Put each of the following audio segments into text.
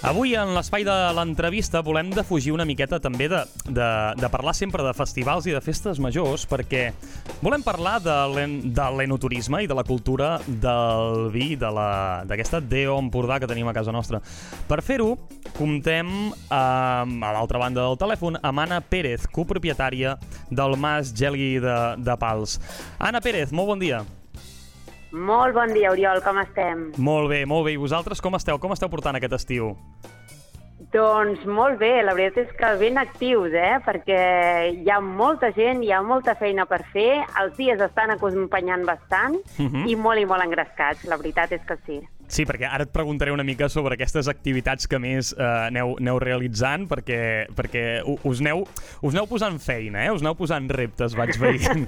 Avui, en l'espai de l'entrevista, volem defugir una miqueta també de parlar sempre de festivals i de festes majors, perquè volem parlar de l'enoturisme i de la cultura del vi, d'aquesta DO Empordà que tenim a casa nostra. Per fer-ho, comptem a l'altra banda del telèfon amb Anna Pérez, copropietària del Mas Geli de Pals. Anna Pérez, molt bon dia. Molt bon dia, Oriol, com estem? Molt bé, molt bé. I vosaltres com esteu? Com esteu portant aquest estiu? Doncs molt bé, la veritat és que ben actius, perquè hi ha molta gent, hi ha molta feina per fer, els dies estan acompanyant bastant i molt engrescats, la veritat és que sí. Sí, perquè ara et preguntaré una mica sobre aquestes activitats que més aneu realitzant, perquè us aneu posant feina, us aneu posant reptes, vaig veient.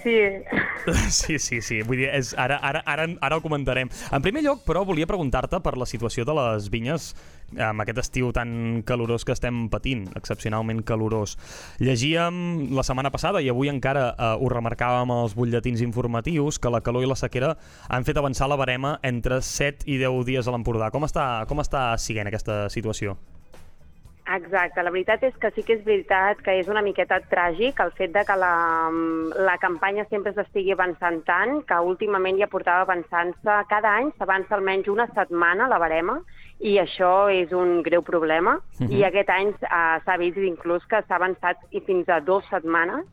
Sí. Vull dir, ara ho comentarem. En primer lloc, però, volia preguntar-te per la situació de les vinyes amb aquest estiu tan calorós que estem patint, excepcionalment calorós. Llegíem la setmana passada i avui encara ho remarcàvem als butlletins informatius que la calor i la sequera han fet avançar la barema entre 7 i 10 dies a l'Empordà. Com està siguent aquesta situació? Exacte, la veritat és que sí que és veritat que és una miqueta tràgic el fet de que la campanya sempre s'estigui avançant tant, que últimament ja portava avançant-se, cada any s'avança almenys una setmana la barema, i això és un greu problema, i aquest any s'ha vist inclús que s'ha avançat fins a 2 setmanes,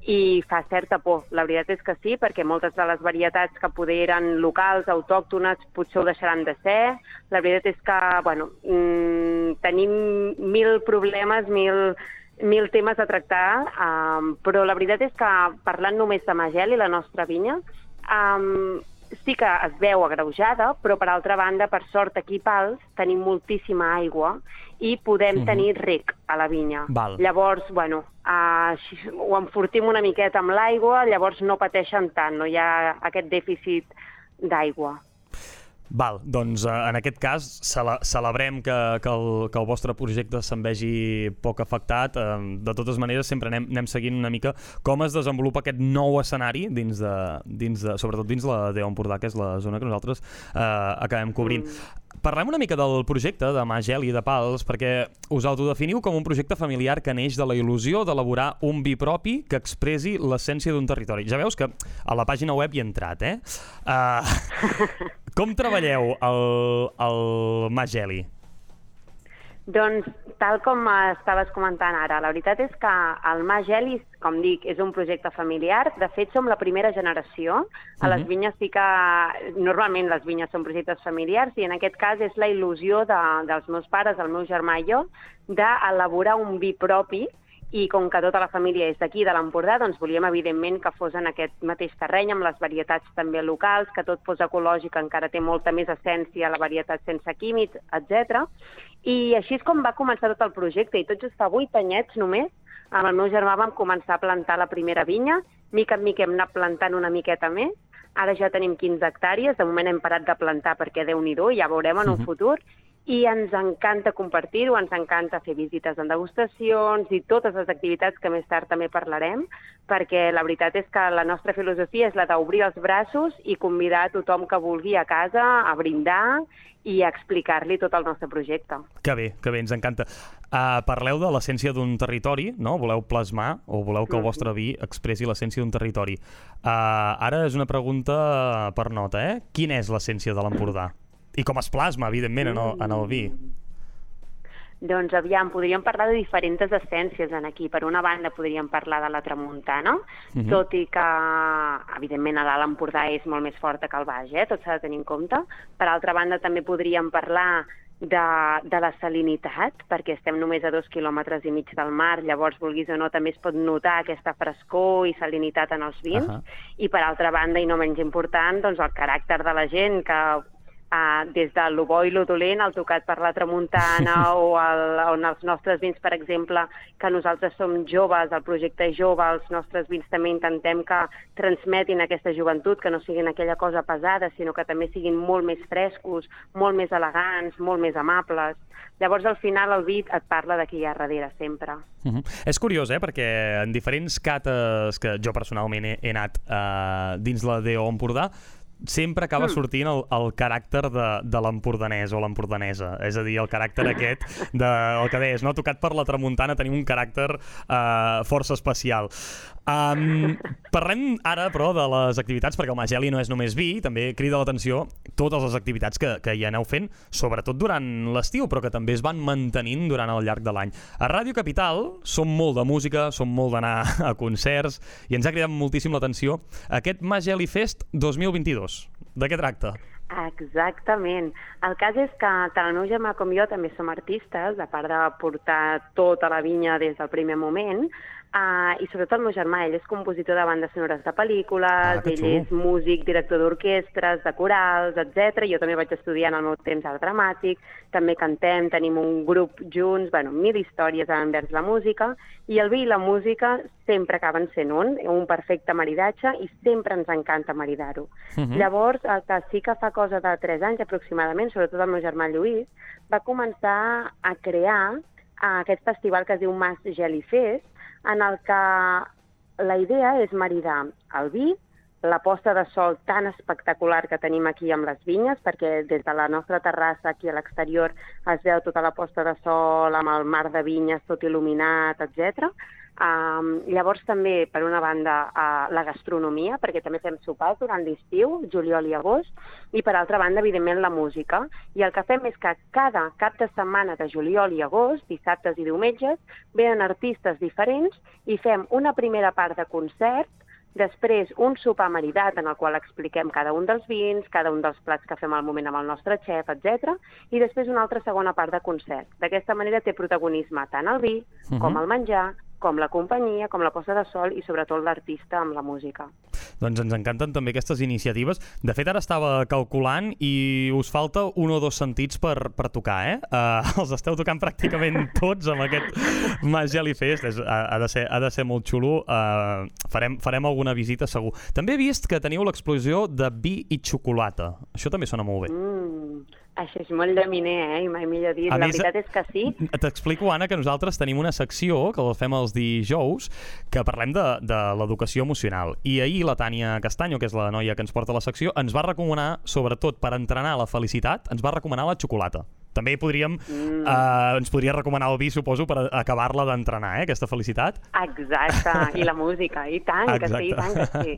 i fa certa por. La veritat és que sí, perquè moltes de les varietats que poder eren locals, autòctones, potser ho deixaran de ser. La veritat és que, tenim 1.000 problemes, 1.000 temes a tractar, però la veritat és que, parlant només de Mageli, la nostra vinya, sí que es veu agreujada, però per altra banda, per sort, aquí a Pals tenim moltíssima aigua i podem tenir rec a la vinya. Val. Llavors, ho enfortim una miqueta amb l'aigua, llavors no pateixen tant, no hi ha aquest dèficit d'aigua. Val, doncs en aquest cas celebrem que el vostre projecte se'n vegi poc afectat. De totes maneres, sempre anem seguint una mica com es desenvolupa aquest nou escenari sobretot dins la DO Empordà, que és la zona que nosaltres acabem cobrint. Parlem una mica del projecte de Mas Geli de Pals, perquè us autodefiniu com un projecte familiar que neix de la il·lusió d'elaborar un vi propi que expressi l'essència d'un territori. Ja veus que a la pàgina web hi he entrat, Com treballeu el Mas Geli? Doncs, tal com estaves comentant ara, la veritat és que el Mas Geli, com dic, és un projecte familiar. De fet, som la primera generació. A les vinyes sí que... Normalment les vinyes són projectes familiars i en aquest cas és la il·lusió dels meus pares, el meu germà i jo, d'elaborar un vi propi. I com que tota la família és d'aquí, de l'Empordà, doncs volíem, evidentment, que fos en aquest mateix terreny, amb les varietats també locals, que tot fos ecològic, encara té molta més essència, la varietat sense químics, etc. I així és com va començar tot el projecte, i tot just fa 8 anyets només, amb el meu germà vam començar a plantar la primera vinya, mica en mica hem anat plantant una miqueta més, ara ja tenim 15 hectàrees, de moment hem parat de plantar perquè Déu-n'hi-do, ja veurem en un futur, i ens encanta compartir-ho, ens encanta fer visites en degustacions i totes les activitats que més tard també parlarem, perquè la veritat és que la nostra filosofia és la d'obrir els braços i convidar a tothom que vulgui a casa a brindar i a explicar-li tot el nostre projecte. Que bé, ens encanta. Parleu de l'essència d'un territori, no? Voleu plasmar o voleu que el vostre vi expressi l'essència d'un territori. Ara és una pregunta per nota, Quina és l'essència de l'Empordà? I com es plasma, evidentment, en el vi? Doncs aviam, podríem parlar de diferents essències aquí. Per una banda podríem parlar de la tramuntana, tot i que, evidentment, a l'Alt Empordà és molt més forta que al Baix, tot s'ha de tenir en compte. Per altra banda, també podríem parlar de la salinitat, perquè estem només a 2,5 quilòmetres del mar, llavors, vulguis o no, també es pot notar aquesta frescor i salinitat en els vins. I per altra banda, i no menys important, doncs el caràcter de la gent, que des de lo bo i lo dolent, el tocat per la tramuntana o en els nostres vins, per exemple, que nosaltres som joves, el projecte és jove, els nostres vins també intentem que transmetin aquesta joventut, que no siguin aquella cosa pesada, sinó que també siguin molt més frescos, molt més elegants, molt més amables. Llavors, al final, el vi et parla de qui hi ha darrere, sempre. És curiós, perquè en diferents cates que jo personalment he anat dins la DO Empordà, sempre acaba sortint el caràcter de l'empordanès o l'empordanesa. És a dir, el caràcter aquest el que deies, no? Tocat per la tramuntana tenim un caràcter força especial. Parlem ara, però, de les activitats, perquè el Mageli no és només vi, també crida l'atenció totes les activitats que hi aneu fent, sobretot durant l'estiu, però que també es van mantenint durant el llarg de l'any. A Ràdio Capital som molt de música, som molt d'anar a concerts, i ens ha cridat moltíssim l'atenció aquest Mageli Fest 2022. De què tracta? Exactament. El cas és que tant el meu germà com jo també som artistes, a part de portar tota la vinya des del primer moment, i sobretot el meu germà, ell és compositor de bandes sonores de pel·lícules, ell és músic, director d'orquestres, de corals, etc. Jo també vaig estudiar en el meu temps art dramàtic, també cantem, tenim un grup junts, mil històries envers la música, i el vi i la música sempre acaben sent un perfecte maridatge, i sempre ens encanta maridar-ho. Llavors, el que sí que fa cosa de 3 anys aproximadament, sobretot el meu germà Lluís, va començar a crear aquest festival que es diu Mageli Fest, en el que la idea és maridar el vi, la posta de sol tan espectacular que tenim aquí amb les vinyes, perquè des de la nostra terrassa aquí a l'exterior es veu tota la posta de sol amb el mar de vinyes tot il·luminat, etc. Llavors també, per una banda, la gastronomia, perquè també fem sopars durant l'estiu, juliol i agost, i per altra banda, evidentment, la música. I el que fem és que cada cap de setmana de juliol i agost, dissabtes i diumenges, venen artistes diferents i fem una primera part de concert, després un sopar maridat en el qual expliquem cada un dels vins, cada un dels plats que fem al moment amb el nostre xef, etc. I després una altra segona part de concert. D'aquesta manera té protagonisme tant el vi com el menjar, com la companyia, com la posta de sol i sobretot l'artista amb la música. Doncs ens encanten també aquestes iniciatives. De fet, ara estava calculant i us falta un o dos sentits per tocar, eh? Els esteu tocant pràcticament tots amb aquest Mageli Fest. Ha de ser molt xulo. Farem alguna visita segur. També he vist que teniu l'explosió de vi i xocolata. Això també sona molt bé. Això és molt de miner, i mai millor dit. La veritat és que sí. T'explico, Anna, que nosaltres tenim una secció que la fem els dijous que parlem de l'educació emocional. I ahir la Tània Castanyo, que és la noia que ens porta la secció, ens va recomanar, sobretot per entrenar la felicitat, ens va recomanar la xocolata. També ens podria recomanar el vi, suposo, per acabar-la d'entrenar, aquesta felicitat. Exacte, i la música, i tant, que sí, i tant que sí.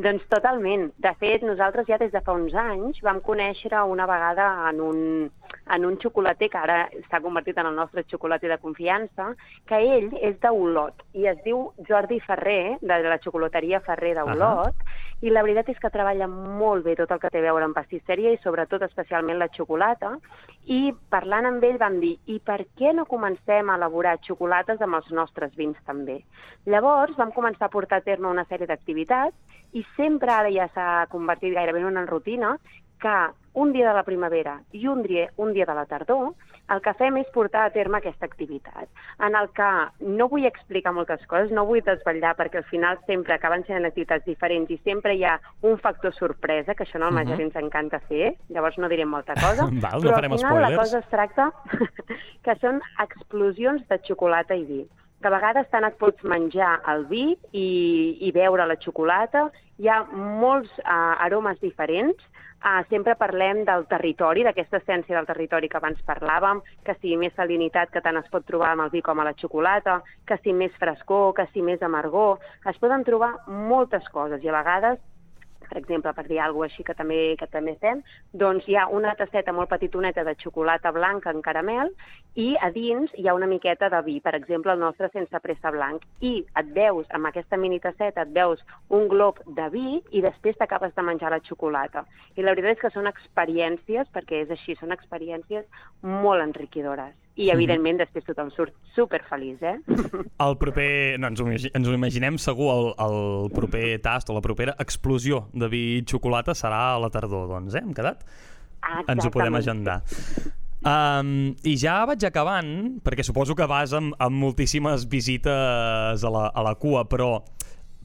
Doncs totalment. De fet, nosaltres ja des de fa uns anys vam conèixer una vegada en un xocolater que ara s'ha convertit en el nostre xocolater de confiança, que ell és d'Olot i es diu Jordi Ferrer, de la xocolateria Ferrer d'Olot, i la veritat és que treballa molt bé tot el que té a veure amb pastisseria i sobretot especialment la xocolata, i parlant amb ell vam dir, i per què no comencem a elaborar xocolates amb els nostres vins també? Llavors vam començar a portar a terme una sèrie d'activitats i sempre ara ja s'ha convertit gairebé en una rutina que un dia de la primavera i un dia de la tardor el que fem és portar a terme aquesta activitat, en el que no vull explicar moltes coses, no vull desvetllar, perquè al final sempre acaben sent activitats diferents i sempre hi ha un factor sorpresa, que això en el Mageli ens encanta fer, llavors no direm molta cosa, però al final la cosa es tracta que són explosions de xocolata i vi, que a vegades tant et pots menjar el vi i beure la xocolata, hi ha molts aromes diferents. Sempre parlem del territori, d'aquesta essència del territori que abans parlàvem, que sigui més salinitat, que tant es pot trobar amb el vi com a la xocolata, que sigui més frescor, que sigui més amargor. Es poden trobar moltes coses i a vegades, per exemple, per dir alguna cosa així que també fem, doncs hi ha una tasseta molt petitoneta de xocolata blanca en caramel i a dins hi ha una miqueta de vi, per exemple, el nostre sense pressa blanc. I et veus, amb aquesta mini tasseta, et veus un glob de vi i després t'acabes de menjar la xocolata. I la veritat és que són experiències, perquè és així, són experiències molt enriquidores. I, evidentment, després tothom surt superfeliç, eh? El proper... No, ens ho imaginem segur, el proper tast o la propera explosió de vi i xocolata serà a la tardor, doncs, Hem quedat? Exactament. Ens ho podem agendar. I ja vaig acabant, perquè suposo que vas amb moltíssimes visites a la cua, però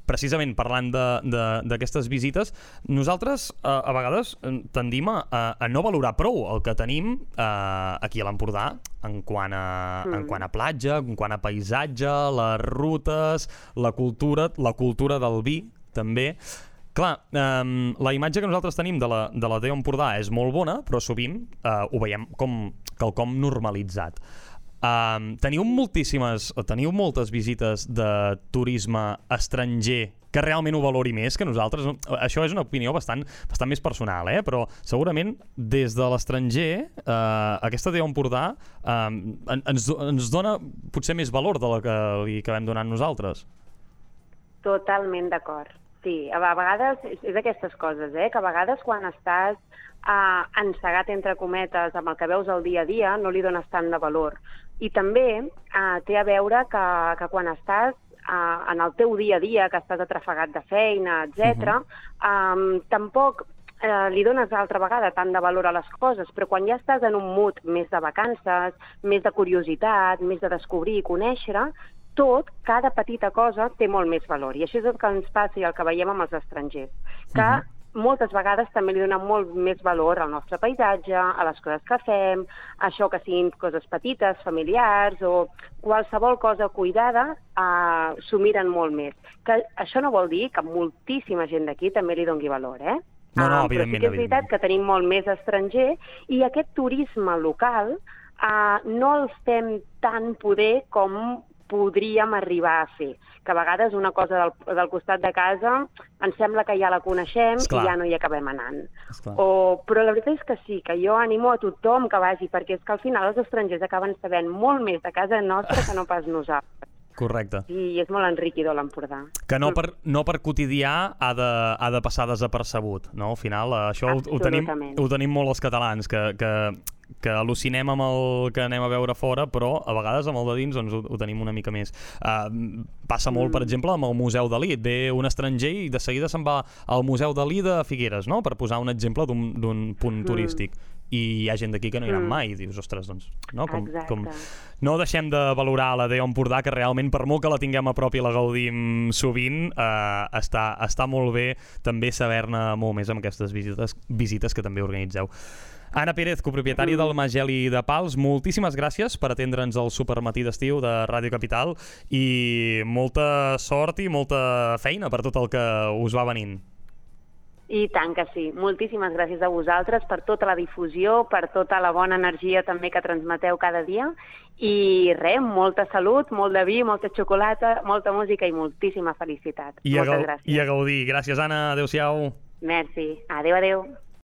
precisament parlant d'aquestes visites, nosaltres a vegades tendim a no valorar prou el que tenim aquí a l'Empordà en quant a platja, en quant a paisatge, les rutes, la cultura del vi també. Clar, la imatge que nosaltres tenim de la DEO Empordà és molt bona, però sovint ho veiem com quelcom normalitzat. Teniu moltes visites de turisme estranger que realment ho valori més que nosaltres? Això és una opinió bastant més personal, però segurament des de l'estranger aquesta DEO Empordà ens dona potser més valor de la que li acabem donant nosaltres. Totalment d'acord. Sí, a vegades és aquestes coses, que a vegades quan estàs encegat entre cometes amb el que veus al dia a dia no li dones tant de valor. I també té a veure que quan estàs en el teu dia a dia, que estàs atrafegat de feina, etc., tampoc li dones altra vegada tant de valor a les coses, però quan ja estàs en un mood més de vacances, més de curiositat, més de descobrir i conèixer, cada petita cosa té molt més valor. I això és el que ens passa i el que veiem amb els estrangers, que moltes vegades també li donen molt més valor al nostre paisatge, a les coses que fem, això que siguin coses petites, familiars o qualsevol cosa cuidada, s'ho miren molt més. Que això no vol dir que moltíssima gent d'aquí també li doni valor, No, però sí que és veritat que tenim molt més estranger i aquest turisme local no el fem tan poder com podríem arribar a fer. Que a vegades una cosa del costat de casa ens sembla que ja la coneixem i ja no hi acabem anant. Però la veritat és que sí, que jo animo a tothom que vagi, perquè és que al final els estrangers acaben sabent molt més de casa nostra que no pas nosaltres. Correcte. I és molt enriquidor l'Empordà. Que no per quotidià ha de passar desapercebut, no? Al final, això ho tenim molt els catalans, que al·lucinem amb el que anem a veure fora, però a vegades amb el de dins doncs, ho tenim una mica més. Passa molt, per exemple, amb el Museu Dalí. Ve un estranger i de seguida se'n va al Museu Dalí de Figueres, no? Per posar un exemple d'un punt turístic. I hi ha gent d'aquí que no hi aniran mai i dius, ostres, doncs, no? No deixem de valorar la DEO Empordà, que realment, per molt que la tinguem a prop i la gaudim sovint, està molt bé també saber-ne molt més amb aquestes visites que també organitzeu. Anna Pérez, copropietària del Mageli de Pals, moltíssimes gràcies per atendre'ns al supermatí d'estiu de Ràdio Capital i molta sort i molta feina per tot el que us va venint. I tant que sí. Moltíssimes gràcies a vosaltres per tota la difusió, per tota la bona energia també que transmeteu cada dia. I res, molta salut, molt de vi, molta xocolata, molta música i moltíssima felicitat. Moltes gràcies. I a gaudir. Gràcies, Anna. Adéu-siau. Merci. Adéu, adéu.